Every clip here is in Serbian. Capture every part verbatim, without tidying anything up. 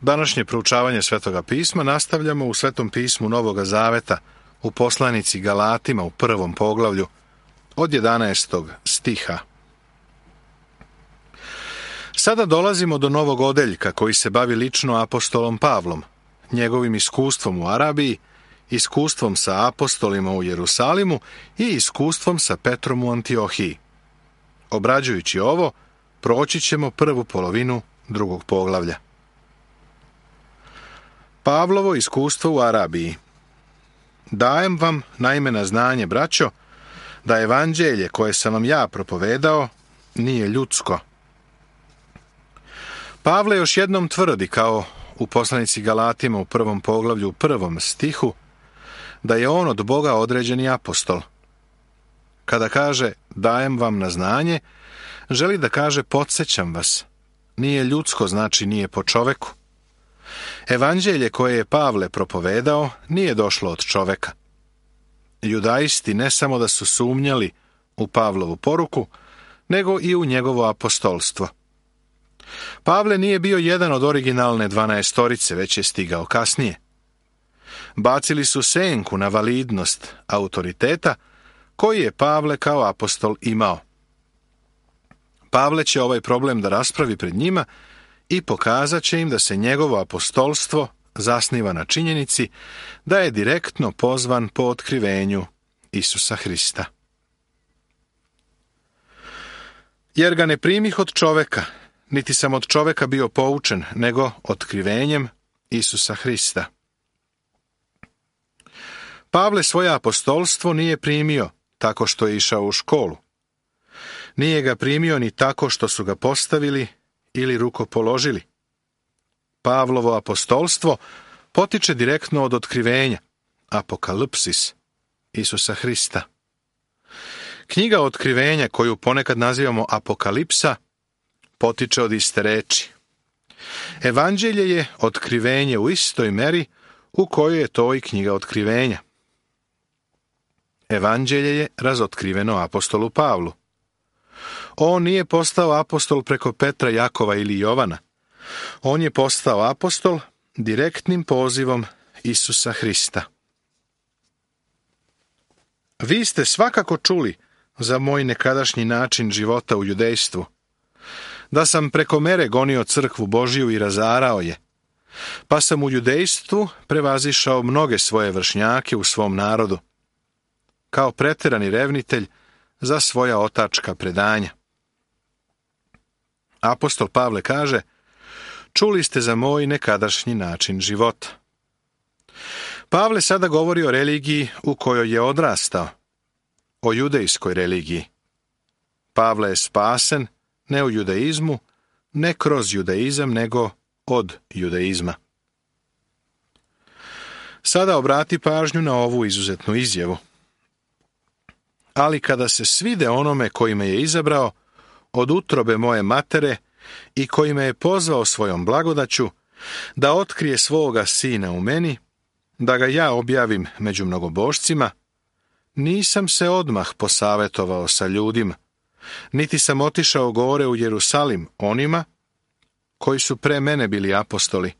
Današnje proučavanje Svetoga pisma nastavljamo u Svetom pismu Novoga Zaveta, u poslanici Galatima u prvom poglavlju, od jedanaestog stiha. Sada dolazimo do novog odeljka koji se bavi lično apostolom Pavlom, njegovim iskustvom u Arabiji, iskustvom sa apostolima u Jerusalimu i iskustvom sa Petrom u Antiohiji. Obrađujući ovo, proći ćemo prvu polovinu drugog poglavlja. Pavlovo iskustvo u Arabiji. Dajem vam naime na znanje, braćo, da evanđelje koje sam vam ja propovedao nije ljudsko. Pavle još jednom tvrdi, kao u poslanici Galatima u prvom poglavlju u prvom stihu, da je on od Boga određeni apostol. Kada kaže dajem vam na znanje, želi da kaže podsjećam vas. Nije ljudsko znači nije po čoveku. Evanđelje koje je Pavle propovedao nije došlo od čoveka. Judaisti ne samo da su sumnjali u Pavlovu poruku, nego i u njegovo apostolstvo. Pavle nije bio jedan od originalne dvanaestorice, već je stigao kasnije. Bacili su senku na validnost autoriteta koji je Pavle kao apostol imao. Pavle će ovaj problem da raspravi pred njima i pokazat će im da se njegovo apostolstvo zasniva na činjenici da je direktno pozvan po otkrivenju Isusa Hrista. Jer ga ne primih od čoveka, niti sam od čoveka bio poučen, nego otkrivenjem Isusa Hrista. Pavle svoje apostolstvo nije primio tako što je išao u školu. Nije ga primio ni tako što su ga postavili ili rukopoložili. Pavlovo apostolstvo potiče direktno od otkrivenja, apokalipsis, Isusa Hrista. Knjiga otkrivenja, koju ponekad nazivamo apokalipsa, potiče od iste reči. Evanđelje je otkrivenje u istoj meri u kojoj je to i knjiga otkrivenja. Evanđelje je razotkriveno apostolu Pavlu. On nije postao apostol preko Petra, Jakova ili Jovana. On je postao apostol direktnim pozivom Isusa Hrista. Vi ste svakako čuli za moj nekadašnji način života u judejstvu, da sam preko mere gonio crkvu Božiju i razarao je, pa sam u judejstvu prevazišao mnoge svoje vršnjake u svom narodu, kao preterani revnitelj za svoja otačka predanja. Apostol Pavle kaže, čuli ste za moj nekadašnji način života. Pavle sada govori o religiji u kojoj je odrastao, o judejskoj religiji. Pavle je spasen ne u judaizmu, ne kroz judaizam, nego od judaizma. Sada obrati pažnju na ovu izuzetnu izjavu. Ali kada se svide onome koji me je izabrao od utrobe moje matere i koji me je pozvao svojom blagodaću da otkrije svoga sina u meni, da ga ja objavim među mnogobošcima, nisam se odmah posavetovao sa ljudima, niti sam otišao gore u Jerusalim onima koji su pre mene bili apostoli,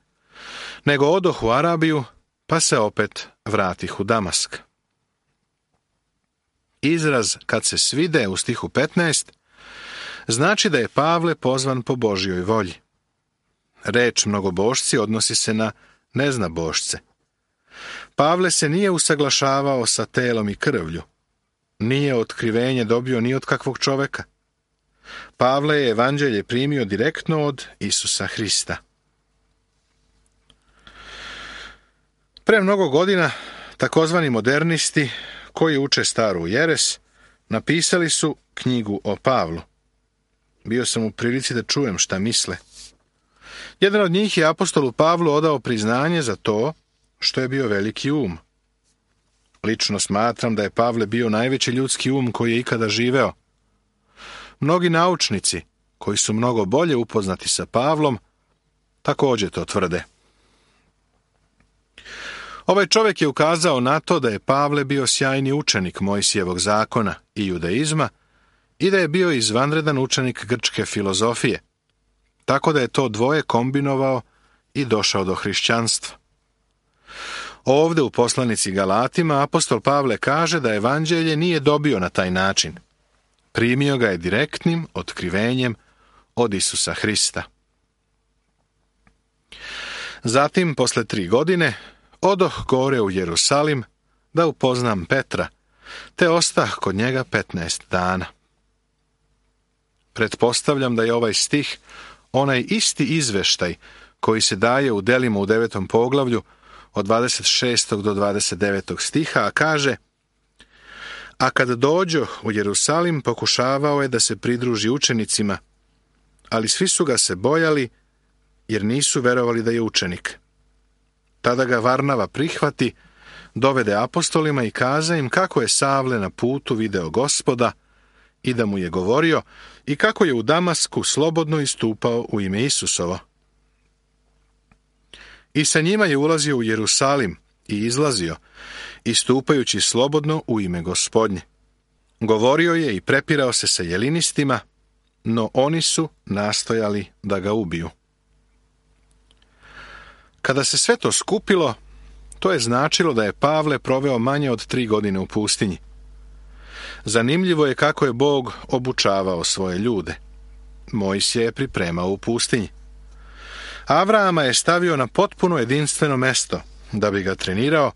nego odoh u Arabiju, pa se opet vratih u Damask. Izraz kad se svide u stihu petnaest znači da je Pavle pozvan po Božjoj volji. Reč mnogobošci odnosi se na neznabošce. Pavle se nije usaglašavao sa telom i krvlju. Nije otkrivenje dobio ni od kakvog čoveka. Pavle je evanđelje primio direktno od Isusa Hrista. Pre mnogo godina takozvani modernisti koji uče staru jeres napisali su knjigu o Pavlu. Bio sam u prilici da čujem šta misle. Jedan od njih je apostolu Pavlu odao priznanje za to što je bio veliki um. Lično smatram da je Pavle bio najveći ljudski um koji je ikada živeo. Mnogi naučnici, koji su mnogo bolje upoznati sa Pavlom, također to tvrde. Ovaj čovjek je ukazao na to da je Pavle bio sjajni učenik Mojsijevog zakona i judaizma i da je bio izvanredan učenik grčke filozofije, tako da je to dvoje kombinovao i došao do hrišćanstva. Ovde u poslanici Galatima apostol Pavle kaže da evanđelje nije dobio na taj način. Primio ga je direktnim otkrivenjem od Isusa Hrista. Zatim, posle tri godine, odoh gore u Jerusalim da upoznam Petra, te ostah kod njega petnaest dana. Pretpostavljam da je ovaj stih onaj isti izveštaj koji se daje u delima u devetom poglavlju od dvadeset šestog do dvadeset devetog stiha, a kaže: A kad dođo u Jerusalim, pokušavao je da se pridruži učenicima, ali svi su ga se bojali, jer nisu verovali da je učenik. Tada ga Varnava prihvati, dovede apostolima i kaza im kako je Savle na putu video Gospoda i da mu je govorio i kako je u Damasku slobodno istupao u ime Isusovo. I sa njima je ulazio u Jerusalim i izlazio, istupajući slobodno u ime Gospodnje. Govorio je i prepirao se sa jelinistima, no oni su nastojali da ga ubiju. Kada se sve to skupilo, to je značilo da je Pavle proveo manje od tri godine u pustinji. Zanimljivo je kako je Bog obučavao svoje ljude. Mojsije je pripremao u pustinji. Avrama je stavio na potpuno jedinstveno mesto da bi ga trenirao,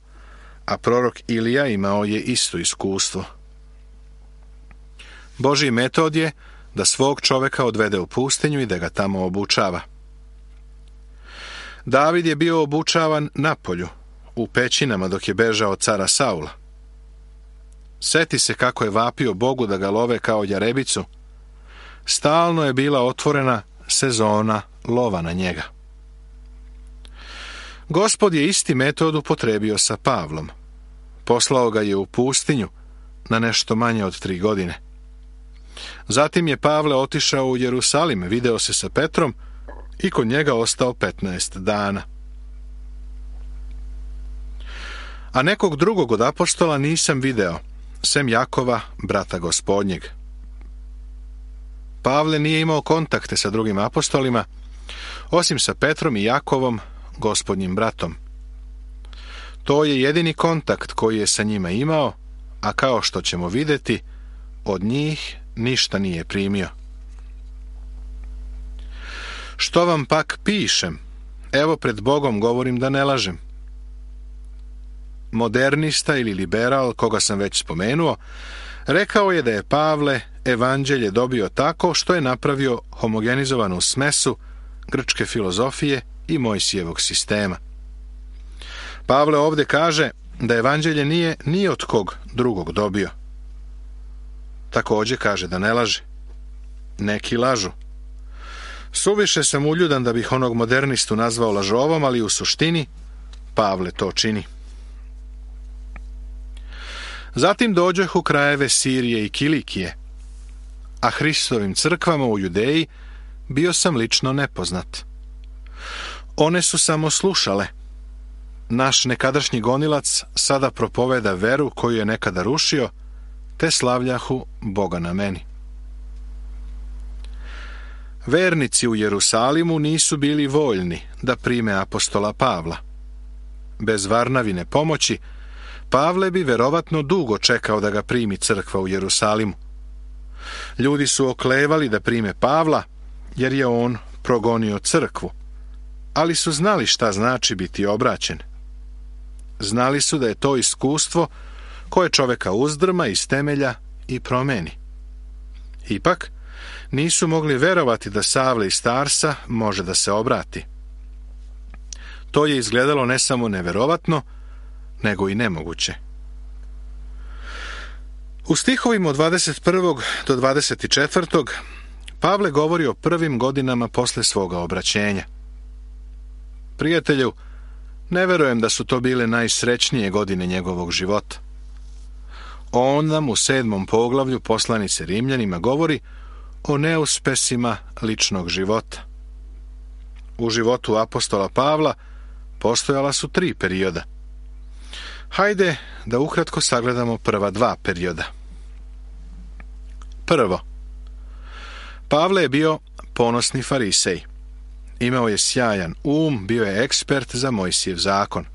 a prorok Ilija imao je isto iskustvo. Božji metod je da svog čoveka odvede u pustinju i da ga tamo obučava. David je bio obučavan na polju, u pećinama dok je bežao od cara Saula. Seti se kako je vapio Bogu da ga love kao jarebicu. Stalno je bila otvorena sezona lova na njega. Gospod je isti metod upotrebio sa Pavlom. Poslao ga je u pustinju na nešto manje od tri godine. Zatim je Pavle otišao u Jerusalim, video se sa Petrom i kod njega ostao petnaest dana. A nekog drugog od apostola nisam video, sem Jakova, brata Gospodnjeg. Pavle nije imao kontakte sa drugim apostolima, osim sa Petrom i Jakovom, Gospodnjim bratom. To je jedini kontakt koji je sa njima imao, a kao što ćemo vidjeti, od njih ništa nije primio. Što vam pak pišem? Evo, pred Bogom govorim da ne lažem. Modernista ili liberal, koga sam već spomenuo, rekao je da je Pavle evanđelje dobio tako što je napravio homogenizovanu smesu grčke filozofije i Mojsijevog sistema. Pavle ovdje kaže da evanđelje nije ni od kog drugog dobio. Također kaže da ne laže. Neki lažu. Suviše sam uljudan da bih onog modernistu nazvao lažovom, ali u suštini Pavle to čini. Zatim dođoh u krajeve Sirije i Kilikije, a Hristovim crkvama u Judeji bio sam lično nepoznat. One su samo slušale. Naš nekadašnji gonilac sada propoveda veru koju je nekada rušio, te slavljahu Boga na meni. Vernici u Jerusalimu nisu bili voljni da prime apostola Pavla. Bez Varnavine pomoći, Pavle bi verovatno dugo čekao da ga primi crkva u Jerusalimu. Ljudi su oklevali da prime Pavla, jer je on progonio crkvu, ali su znali šta znači biti obraćen. Znali su da je to iskustvo koje čoveka uzdrma iz temelja i promeni. Ipak, nisu mogli verovati da Savle iz Tarsa može da se obrati. To je izgledalo ne samo neverovatno, nego i nemoguće. U stihovima od dvadeset prvog do dvadeset četvrtog Pavle govori o prvim godinama posle svoga obraćenja. Prijatelju, ne verujem da su to bile najsrećnije godine njegovog života. On nam u sedmom poglavlju poslanice Rimljanima govori o neuspesima ličnog života. U životu apostola Pavla postojala su tri perioda. Hajde da ukratko sagledamo prva dva perioda. Prvo, Pavle je bio ponosni farisej. Imao je sjajan um, bio je ekspert za Mojsijev zakon.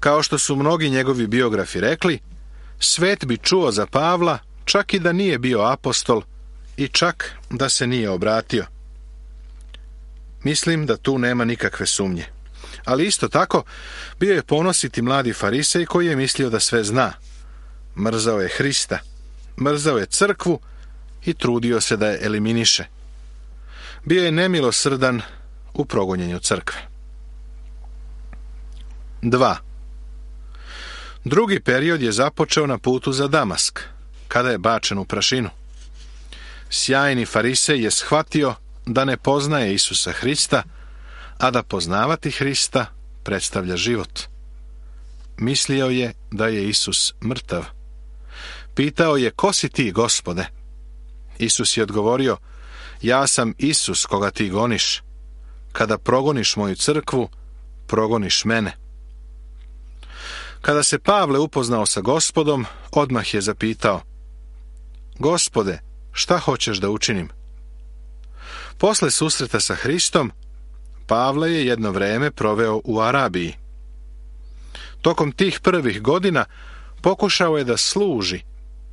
Kao što su mnogi njegovi biografi rekli, svet bi čuo za Pavla čak i da nije bio apostol i čak da se nije obratio. Mislim da tu nema nikakve sumnje. Ali isto tako, bio je ponositi mladi farisej koji je mislio da sve zna. Mrzao je Hrista, mrzao je crkvu i trudio se da je eliminiše. Bio je nemilosrdan u progonjenju crkve. dva. Drugi period je započeo na putu za Damask, kada je bačen u prašinu. Sjajni farisej je shvatio da ne poznaje Isusa Hrista, a da poznavati Hrista predstavlja život. Mislio je da je Isus mrtav. Pitao je: ko si ti, Gospode? Isus je odgovorio: ja sam Isus koga ti goniš. Kada progoniš moju crkvu, progoniš mene. Kada se Pavle upoznao sa Gospodom, odmah je zapitao: Gospode, šta hoćeš da učinim? Posle susreta sa Hristom, Pavle je jedno vreme proveo u Arabiji. Tokom tih prvih godina pokušao je da služi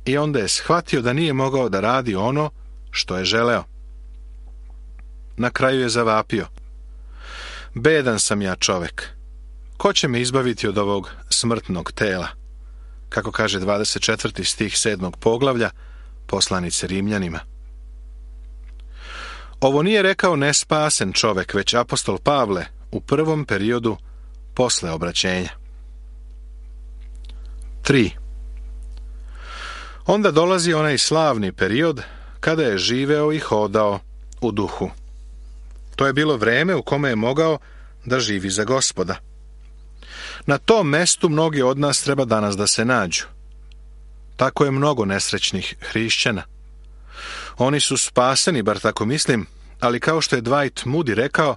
i onda je shvatio da nije mogao da radi ono što je želeo. Na kraju je zavapio: bedan sam ja čovek, ko će me izbaviti od ovog smrtnog tela? Kako kaže dvadeset četvrti stih sedmog poglavlja poslanice Rimljanima. Ovo nije rekao nespasen čovek, već apostol Pavle u prvom periodu posle obraćenja. tri. Onda dolazi onaj slavni period kada je živeo i hodao u duhu. To je bilo vreme u kome je mogao da živi za Gospoda. Na tom mestu mnogi od nas treba danas da se nađu. Tako je mnogo nesrećnih hrišćana. Oni su spaseni, bar tako mislim, ali kao što je Dwight Moody rekao,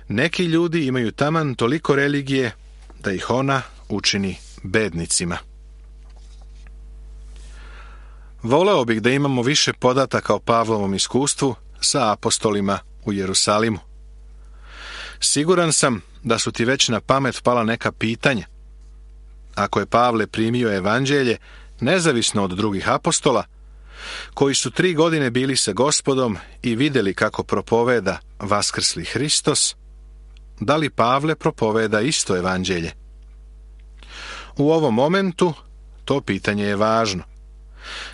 neki ljudi imaju taman toliko religije da ih ona učini bednicima. Voleo bih da imamo više podataka o Pavlovom iskustvu sa apostolima u Jerusalimu. Siguran sam da su ti već na pamet pala neka pitanja. Ako je Pavle primio evanđelje nezavisno od drugih apostola, koji su tri godine bili sa Gospodom i vidjeli kako propoveda vaskrsli Hristos, da li Pavle propoveda isto evanđelje? U ovom momentu to pitanje je važno.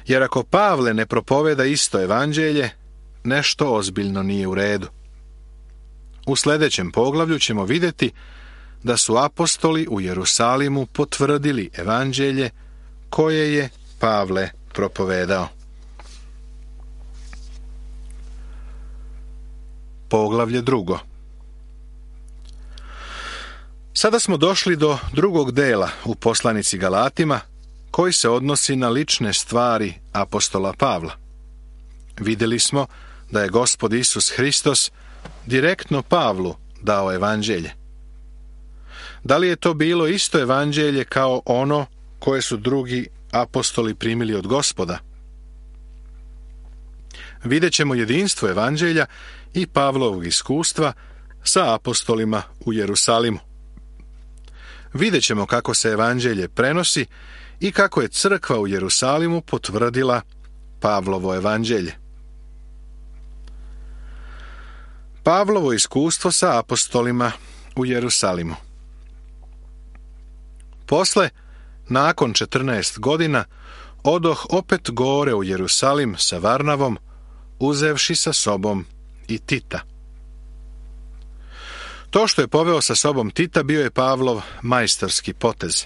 Jer ako Pavle ne propoveda isto evanđelje, nešto ozbiljno nije u redu. U sljedećem poglavlju ćemo vidjeti da su apostoli u Jerusalimu potvrdili evanđelje koje je Pavle propovedao. Poglavlje drugo. Sada smo došli do drugog dela u poslanici Galatima, koji se odnosi na lične stvari apostola Pavla. Vidjeli smo da je Gospod Isus Hristos direktno Pavlu dao evanđelje. Da li je to bilo isto evanđelje kao ono koje su drugi apostoli primili od Gospoda? Vidjet ćemo jedinstvo evanđelja i Pavlovog iskustva sa apostolima u Jerusalimu. Vidjet ćemo kako se evanđelje prenosi i kako je crkva u Jerusalimu potvrdila Pavlovo evanđelje. Pavlovo iskustvo sa apostolima u Jerusalimu. Posle, nakon četrnaest godina, odoh opet gore u Jerusalim sa Varnavom, uzevši sa sobom i Tita. To što je poveo sa sobom Tita bio je Pavlov majstorski potez.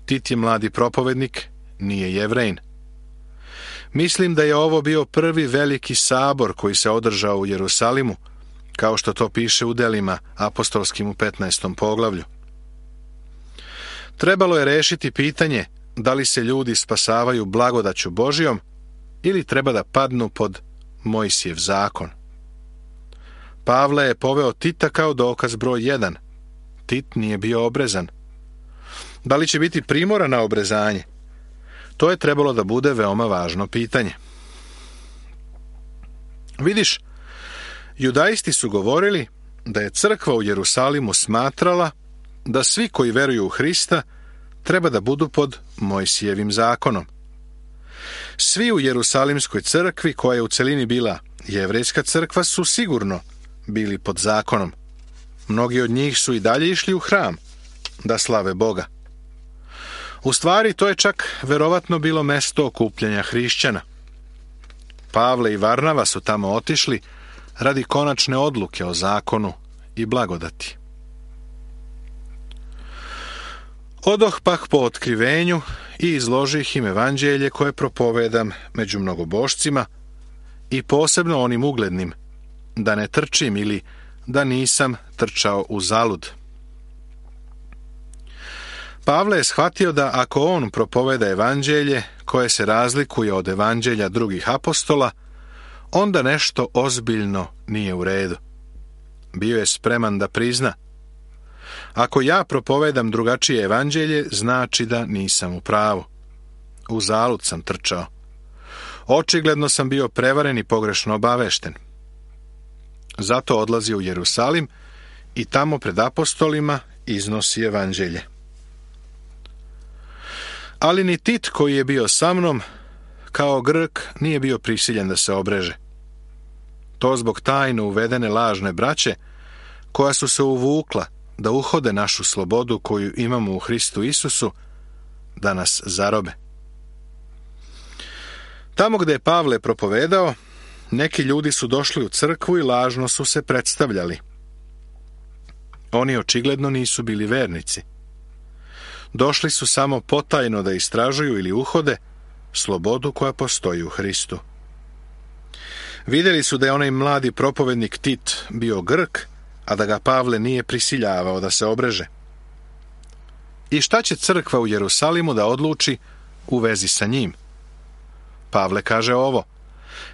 Tit je mladi propovednik, nije Jevrejin. Mislim da je ovo bio prvi veliki sabor koji se održao u Jerusalimu, kao što to piše u delima apostolskim u petnaestom poglavlju. Trebalo je rešiti pitanje da li se ljudi spasavaju blagodaću Božijom ili treba da padnu pod Mojsijev zakon. Pavle je poveo Tita kao dokaz broj jedan. Tit nije bio obrezan. Da li će biti primoran na obrezanje? To je trebalo da bude veoma važno pitanje. Vidiš, Judaisti su govorili da je crkva u Jerusalimu smatrala da svi koji veruju u Hrista treba da budu pod Mojsijevim zakonom. Svi u Jerusalimskoj crkvi, koja je u celini bila jevrejska crkva, su sigurno bili pod zakonom. Mnogi od njih su i dalje išli u hram da slave Boga. U stvari, to je čak verovatno bilo mesto okupljanja hrišćana. Pavle i Varnava su tamo otišli radi konačne odluke o zakonu i blagodati. Odoh pak po otkrivenju i izložih im evanđelje koje propovedam među mnogobošcima i posebno onim uglednim, da ne trčim ili da nisam trčao uzalud. Pavle je shvatio da ako on propoveda evanđelje koje se razlikuje od evanđelja drugih apostola, onda nešto ozbiljno nije u redu. Bio je spreman da prizna: ako ja propovedam drugačije evanđelje, znači da nisam u pravu. Uzalud sam trčao. Očigledno sam bio prevaren i pogrešno obavešten. Zato odlazi u Jerusalim i tamo pred apostolima iznosi evanđelje. Ali ni Tit, koji je bio sa mnom, kao Grk, nije bio prisiljen da se obreže. To zbog tajno uvedene lažne braće, koja su se uvukla da uhode našu slobodu koju imamo u Hristu Isusu, da nas zarobe. Tamo gde je Pavle propovedao, neki ljudi su došli u crkvu i lažno su se predstavljali. Oni očigledno nisu bili vernici. Došli su samo potajno da istražuju ili uhode slobodu koja postoji u Hristu. Vidjeli su da je onaj mladi propovednik Tit bio Grk, a da ga Pavle nije prisiljavao da se obreže. I šta će crkva u Jerusalimu da odluči u vezi sa njim? Pavle kaže ovo: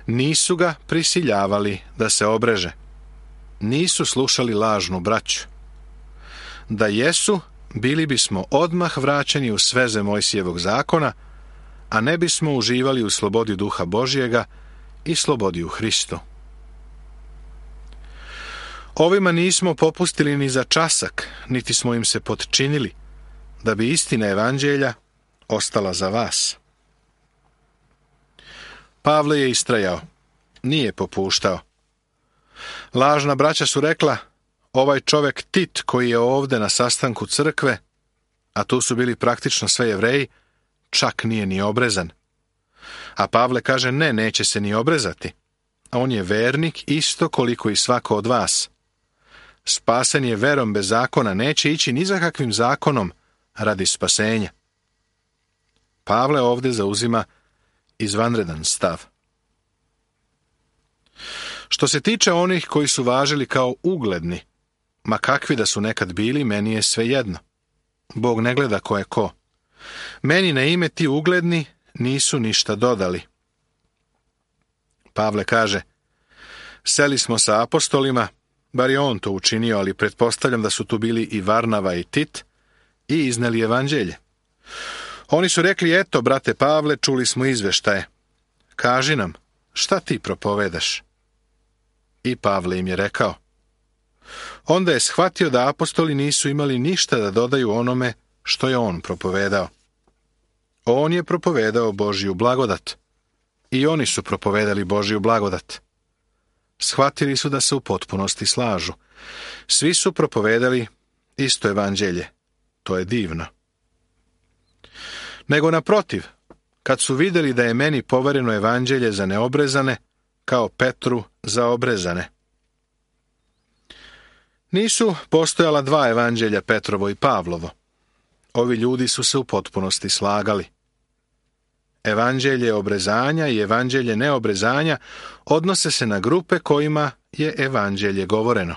nisu ga prisiljavali da se obreže. Nisu slušali lažnu braću. Da jesu, bili bismo odmah vraćeni u sveze Mojsijevog zakona, a ne bismo uživali u slobodi Duha Božjega i slobodi u Hristu. Ovima nismo popustili ni za časak, niti smo im se potčinili, da bi istina evanđelja ostala za vas. Pavle je istrajao, nije popuštao. Lažna braća su rekla: ovaj čovek Tit koji je ovde na sastanku crkve, a tu su bili praktično sve Jevreji, čak nije ni obrezan. A Pavle kaže: ne, neće se ni obrezati. On je vernik isto koliko i svako od vas. Spasen je verom bez zakona, neće ići ni za kakvim zakonom radi spasenja. Pavle ovde zauzima izvanredan stav. Što se tiče onih koji su važili kao ugledni, ma kakvi da su nekad bili, meni je svejedno. Bog ne gleda ko je ko. Meni na ime ti ugledni nisu ništa dodali. Pavle kaže: seli smo sa apostolima, bar je on to učinio, ali pretpostavljam da su tu bili i Varnava i Tit, i izneli evanđelje. Oni su rekli: eto, brate Pavle, čuli smo izveštaje. Kaži nam, šta ti propovedaš? I Pavle im je rekao. Onda je shvatio da apostoli nisu imali ništa da dodaju onome što je on propovedao. On je propovedao Božju blagodat. I oni su propovedali Božju blagodat. Shvatili su da se u potpunosti slažu. Svi su propovedali isto evanđelje. To je divno. Nego naprotiv, kad su vidjeli da je meni povereno evanđelje za neobrezane, kao Petru za obrezane. Nisu postojala dva evanđelja, Petrovo i Pavlovo. Ovi ljudi su se u potpunosti slagali. Evanđelje obrezanja i evanđelje neobrezanja odnose se na grupe kojima je evanđelje govoreno.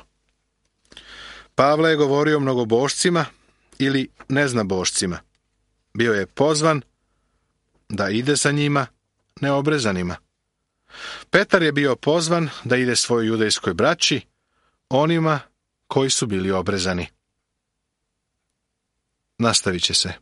Pavle je govorio mnogobošcima ili neznabošcima. Bio je pozvan da ide za njima, neobrezanima. Petar je bio pozvan da ide svojoj judejskoj braći, onima koji su bili obrezani. Nastavit će se.